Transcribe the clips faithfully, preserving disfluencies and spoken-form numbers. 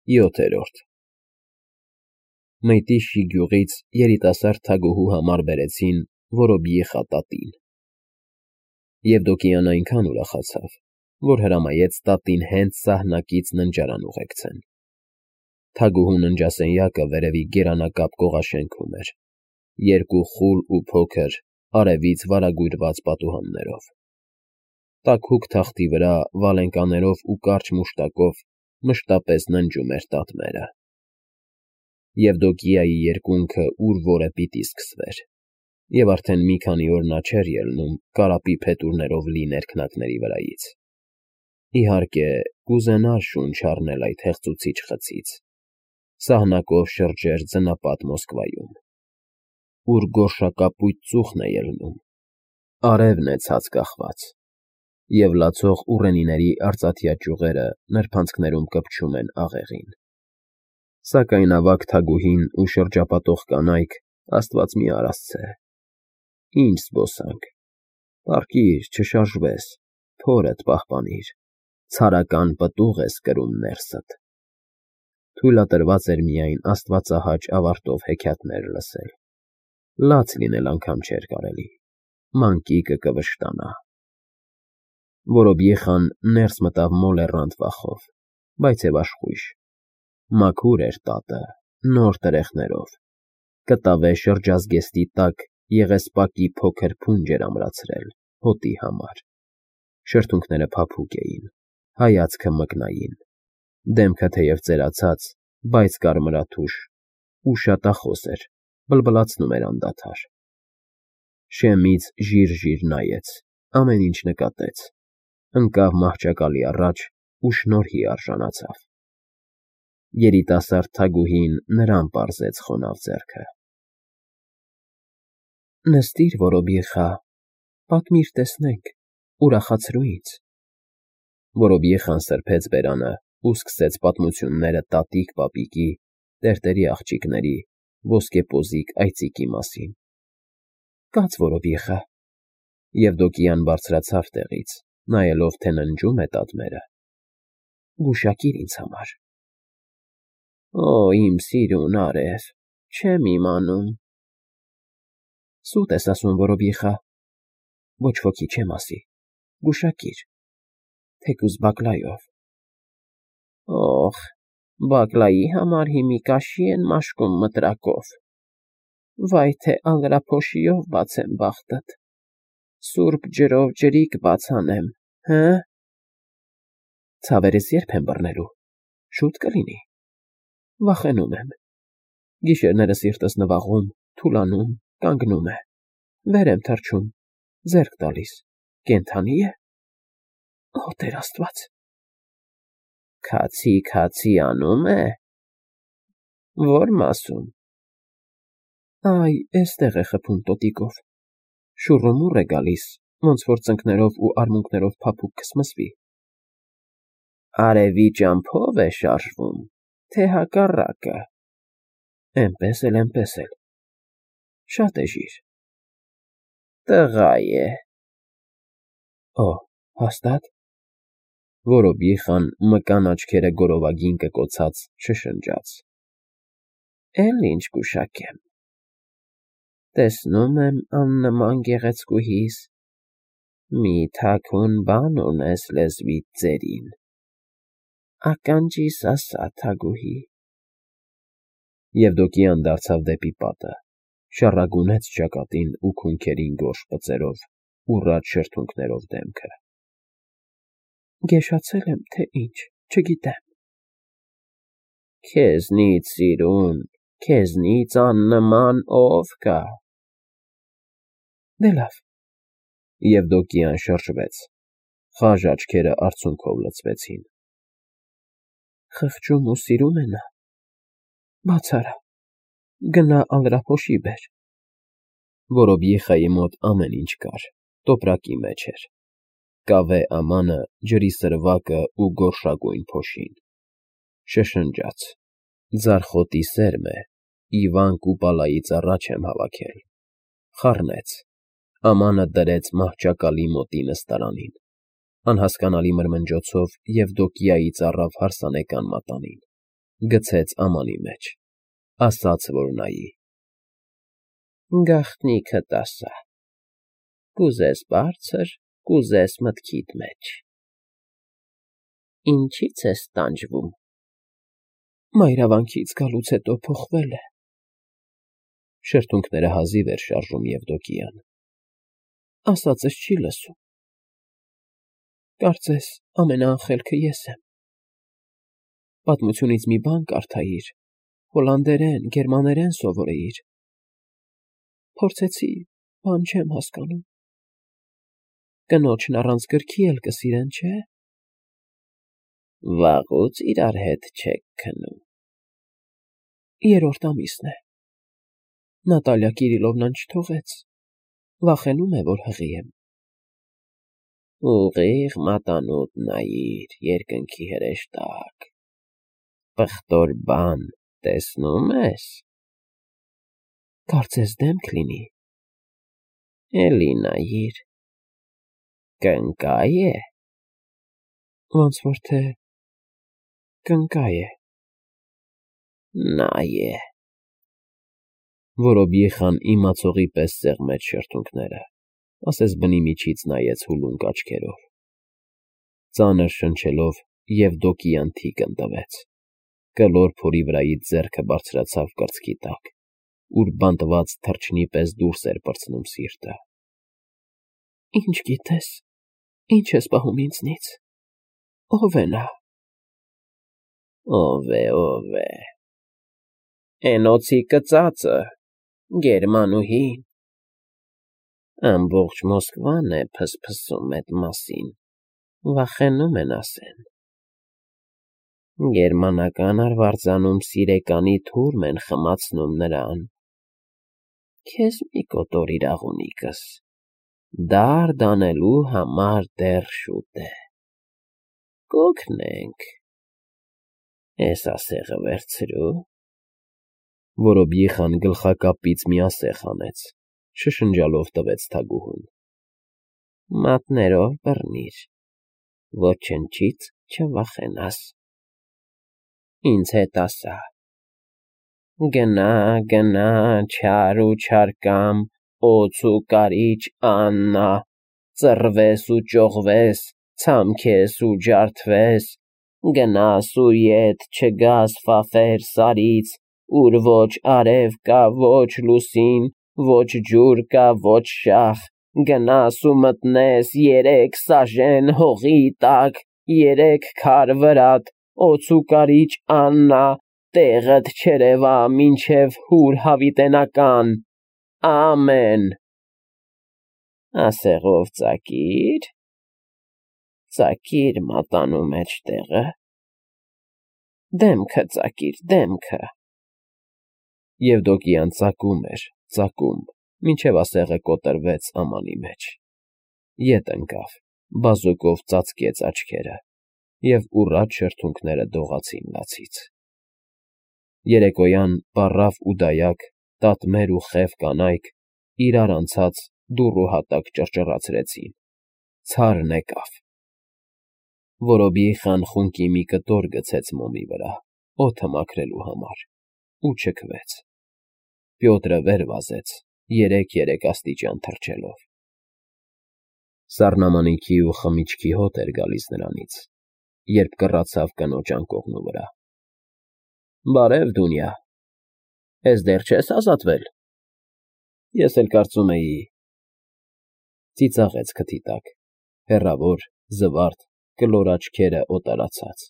յոթերորդ Մայթիշի գյուղից երիտասարդ թագուհու համար բերեցին Որոբիեխա տատին։ Եվդոկիան այնքան ուրախացավ, որ հրամայեց տատին հենց սահնակից ննջարան ուղեկցեն։ Թագուհու ննջասենյակը վերևի գերանակապ կողաշենքում էր, երկու խուլ ու փոքր, արևից վարագույրված պատուհաններով։ Տաքուկ թախտի վրա վալենկաներով ու կարճ մուշտակով մշտապես ննջում էր տատմերը։ Եվդոկիայի երկունքը ուր որը պիտի սկսվեր, և արդեն մի քանի օր նա չէր ելնում կարապի փետուրներով լի ներքնակների վրայից։ Իհարկե, կուզենար շունչ առնել այդ հեղձուցիչ խցից, սահնակով շրջեր ձնապատ Մոսկվայում, ուր գորշակապույտ ծուխն է ելնում, արևն է ցած կախված, և լացող ուռենիների արծաթյա ճյուղերը նրբանցքներում կպչում են աղեղին։ Սակայն ավագ թագուհին ու շրջապատող կանայք, աստված մի արասցե, ինչ զբոսանք, պառկիր, չշարժվես, փորդ պահպանիր, ցարական պտուղ ես կրում ներսդ։ Թույլատրված էր միայն աստվածահաճ ավարտով հեքիաթներ լսել, լաց լինել անգամ չէր կարելի, մանկիկը կվշտանա։ Որոբիեխան ներս մտավ մոլեռանդ վախով, բայց և աշխույժ, մաքուր էր տատը, նոր տրեխներով, կտավե շրջազգեստի տակ եղեսպակի փոքր փունջ էր ամրացրել հոտի համար, շրթունքները փափուկ էին, հայացքը մկնային, դեմքը թեև ծերացած, բայց կարմրաթուշ ու շատախոս էր, բլբլացնում էր անդադար։ Շեմից ժիր֊ժիր նայեց, ամեն ինչ նկատեց, ընկավ մահճակալի առաջ ու շնորհի արժանացավ։ Երիտասարդ թագուհին նրան պարզեց խոնավ ձեռքը։ Նստիր, Որոբիեխա, պատմիր տեսնենք, ուրախացրու ինձ։ Որոբիեխան սրբեց բերանը ու սկսեց պատմությունները տատիկ֊պապիկի, տերտերի աղջիկների, ոսկեպոզիկ այծիկի մասին։ Կաց, Որոբիեխա։ Եվդոկիան բարձրացավ տեղից, նայելով, թե ննջում է տատմերը։ Գուշակիր ինձ համար։ Օ, իմ սիրուն արև, չեմ իմանում։ Սուտ ես ասում, Որոբիեխա, ոչ ոքի չեմ ասի, գուշակիր, թեկուզ բակլայով։ Օխ, բակլայի համար հիմի կաշի են մաշկում մտրակով, վայ թե ալրափոշիով բացեմ բախտդ, սուրբ ջրով ջրիկ բաց անեմ, հը՞։ Ցավերս ե՞րբ եմ բռնելու, շուտ կլինի։ Վախենում եմ, գիշերները սիրտս նվաղում, թուլանում, կանգնում է, վեր եմ թռչում, ձեռք տալիս, կենդանի է։ Օ, Տեր Աստված։ Քացի֊քացի անում է։ Ո՞ր մասում։ Այ, էստեղ է խփում տոտիկով, շուռումուռ է գալիս, ոնց որ ծնկներով ու արմունկներով փափուկ կսմսվի։ Արևի ճամփով է շարժվում, թե հակառակը։ Էնպես էլ, էնպես էլ։ Շատ էժիր։ Տղա է։ Օ, հաստա՞տ։ Որոբիեխան մկան աչքերը գորովագին կկոցած շշնջաց։ Էլ ինչ կուշակեմ։ Տեսնում եմ աննման գեղեցկուհիս, մի թաքուն բան ունես լեզվիդ ծերին։ Ականջիս ասա, թագուհի։ Եվդոկիան դարձավ դեպի պատը, շառագունեց ճակատին ու քունքերին գորշ բծերով, ուռած շրթունքներով դեմքը։ Գեշացել եմ, թե ինչ, չգիտեմ։ Քեզնից սիրուն, քեզնից աննման ով կա։ Դե լավ։ Եվդոկիան շրջվեց, խաժ աչքերը արցունքով լցվեցին։ Խղճում ու սիրում է նա։ Բաց արա, գնա ալրափոշի բեր։ Որոբիեխայի մոտ ամեն ինչ կար, տոպրակի մեջ էր, կավե ամանը, ջրի սրվակը ու գորշագույն փոշին։ Շշնջաց. ձարխոտի սերմ է, Իվան Կուպալայից առաջ եմ հավաքել։ Խառնեց, ամանը դրեց մահճակալի մոտի նստարանին, անհասկանալի մրմնջոցով Եվդոկիայից առավ հարսանեկան մատանին, գցեց ամանի մեջ, ասաց, որ նայի։ Գաղտնիքդ ասա, կուզես բարձր, կուզես մտքիդ մեջ, ինչի՞ց ես տանջվում։ Մայրավանքից գալուց հետո փոխվել է։ Շրթունքները հազիվ էր շարժում Եվդոկիան։ Ասածս չի լսում։ Կարծես ամենաանխելքը ես եմ։ Պատմությունից մի բան կարդայիր, հոլանդերեն, գերմաներեն սովորեիր։ Փորձեցի, բան չեմ հասկանում։ Կնոջն առանց գրքի էլ կսիրեն, չէ՞։ Վաղուց իրար հետ չեք քնում։ Երրորդ ամիսն է։ Նատալիա Կիրիլովնան չթողեց, վախենում է, որ հղի եմ։ Ուղիղ մատանուտ նայիր երկնքի հրեշտակ, պղտոր բան տեսնում ես։ Կարծես դեմք լինի։ Էլի նայիր, կնկայ է։ Ոնց որ թե կնկայ է։ Նա է։ Որոբիխան իմացողի պես սեղմեց շրթունքները, ասես բնի միջից նայեց հուլունկ աչքերով։ Ծանր շնչելով Եվդոկիան թիկն տվեց, կլոր փորի վրայից ձեռքը բարձրացավ կրծքի տակ, ուր բանտված թռչնի պես դուրս էր պրծնում սիրտը։ Ինչ գիտես, ինչ ես պահում ինձնից, ով է նա։ Ով է, ով է։ Էնոցի կծածը, գերմանուհին։ Ամբողջ Մոսկվան է փսփսում այդ մասին, վախենում են ասեն։ Գերմանական արվարձանում սիրեկանի թուրմ են խմացնում նրան։ Քեզ մի կոտոր իրաղունիկս, դարդ անելու համար դեռ շուտ է։ Կօգնենք։ Էս ասեղը վերցրու։ Որոբիխան գլխակապից մի ասեղ հանեց, շշնջալով տվեց թագուհուն։ Մատներով բռնիր, ոչնչից չվախենաս։ Ինձ հետ ասա։ Գնա, գնա, չար ու չարկամ, օձ ու կարիճ Աննա, ծռվես ու ճողվես, ցամքես ու ջարդվես, գնաս ու ետ չգաս ֆաֆեր սարից, ուր ոչ արև կա, ոչ լուսին, ոչ ջուր կա, ոչ շախ, գնաս ու մտնես երեք սաժեն հողի տակ, երեք քար վրատ, օձ ու կարիճ Աննա, տեղդ չերևա մինչև հուր հավիտենական, ամեն։ Ասեղով ծակիր, ծակիր մատանու մեջ տեղը, դեմքը ծակիր, դեմքը։ Եվդոկիան ծակում էր, ծակում, մինչև ասեղը կոտրվեց ամանի մեջ։ Ետ ընկավ, բազուկով ծածկեց աչքերը, և ուռած շրթունքները դողացին լացից։ Երեկոյան պառավ ու դայակ, տատմեր ու խև կանայք իրար անցած դուռ ու հատակ ճռճռացրեցին, ցարն եկավ։ Որոբիխան խունկի մի կտոր գցեց մոմի վրա, օդը մաքրելու համար, ու չքվեց։ Պյոտրը վեր վազեց, երեք֊երեք աստիճան թռչելով։ Սառնամանիքի ու խմիչքի հոտ էր գալիս նրանից, երբ կռացավ կնոջ անկողնու վրա։ Բարև, Դունյա, ես դեռ չես ազատվել։ Ես էլ կարծում էի։ Ծիծաղեց քթի տակ, հեռավոր, զվարթ, կլոր աչքերը օտարացած։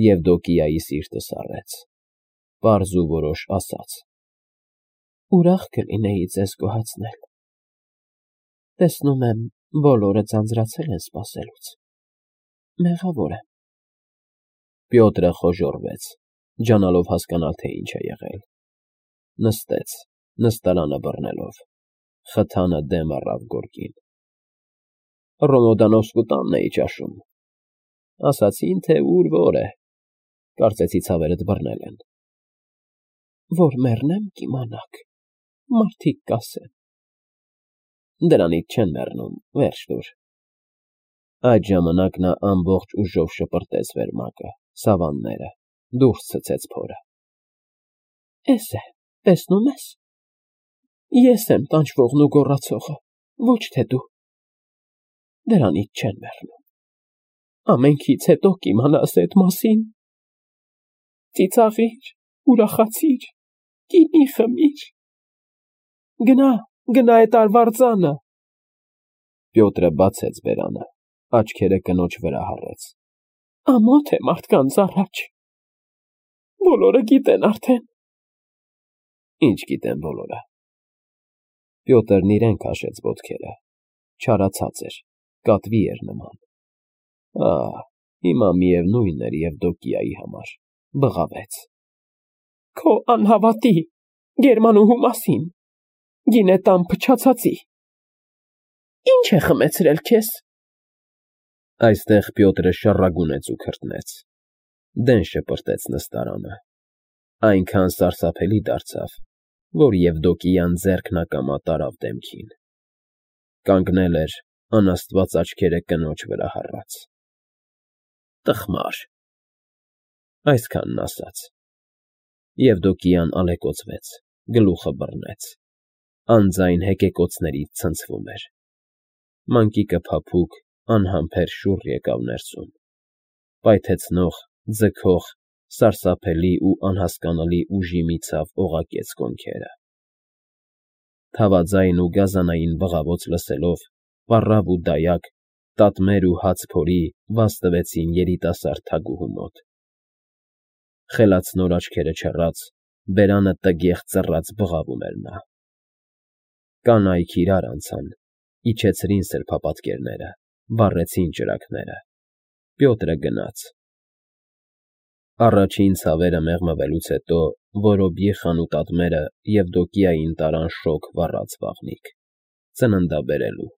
Եվդոկիայի սիրտը սառեց, պարզ ու որոշ ասաց. Ուրախ կլինեի ձեզ գոհացնել։ Տեսնում եմ, բոլորը ձանձրացել են սպասելուց։ Մեղավոր եմ։ Պյոտրը խոժոռվեց, ջանալով հասկանալ, թե ինչ է եղել։ Նստեց, նստարանը բռնելով, խթանը դեմ առավ գորգին։ Ռոմոդանովսկու տանն էի ճաշում։ Ասացին, թե ուր որ է։ Կարծեցի ցավերդ բռնել են։ Որ մեռնեմ կիմանաք, մարդիկ կասեն։ Դրանից չեն մեռնում, վերջ տուր։ Այդ ժամանակ նա ամբողջ ուժով շպրտեց վերմակը, սավանները, դուրս ցցեց փորը։ Էս է, տեսնում ես։ Ես եմ տանջվողն ու գոռացողը, ոչ թե դու։ Դրանից չեն մեռնում։ Ամենքից հետո կիմանաս այդ մասին։ Ծիծաղիր, ուրախացիր, գինի խմիր։ Գնա, գնա այդ արվարձանը։ Պյոտրը բացեց բերանը, աչքերը կնոջ վրա հառեց։ Ամոթ է մարդկանց առաջ։ Բոլորը գիտեն արդեն։ Ինչ գիտեն բոլորը։ Պյոտրն իրեն քաշեց ոտքերը, չարացած էր, կատվի էր նման։ Ահ, հիմա միևնույն էր Եվդոկիայի համար, բղավեց։ Քո անհավատի, գերմանուհու մասին, գինետան փչացածի։ Ինչ է խմեցրել քեզ։ Այստեղ Պյոտրը շառագունեց ու քրտնեց, դեն շպրտեց նստարանը, այնքան սարսափելի դարձավ, որ Եվդոկիան ձեռքն ակամա տարավ դեմքին, կանգնել էր, անաստված աչքերը կնոջ վրա հառած։ Տխմար։ Այսքանն ասաց։ Եվդոկիան ալեկոծվեց, գլուխը բռնեց, անձայն հեկեկոցներից ցնցվում էր։ Մանկիկը փափուկ, անհամբեր շուռ եկավ ներսում, պայթեցնող, ձգող, սարսափելի ու անհասկանալի ուժի միցավ օղակեց կոնքերը։ Թավաձայն ու գազանային բղավոց լսելով, պառավ ու դայակ, տատմեր ու հաց փորի վազտվեցին երիտասարդ թագուհու մոտ։ Խելացնոր աչքերը չռած, բերանը տգեղ ծռած բղավում էր նա։ Կանայք իրար անցան, իջեցրին սրբապատկերները, վառեցին ճրագները։ Պյոտրը գնաց։ Առաջին ցավերը մեղմվելուց հետո Որոբիխան ու տատմերը Եվդոկիային տարան շոգ վառած վաղնիք, ծննդաբերելու։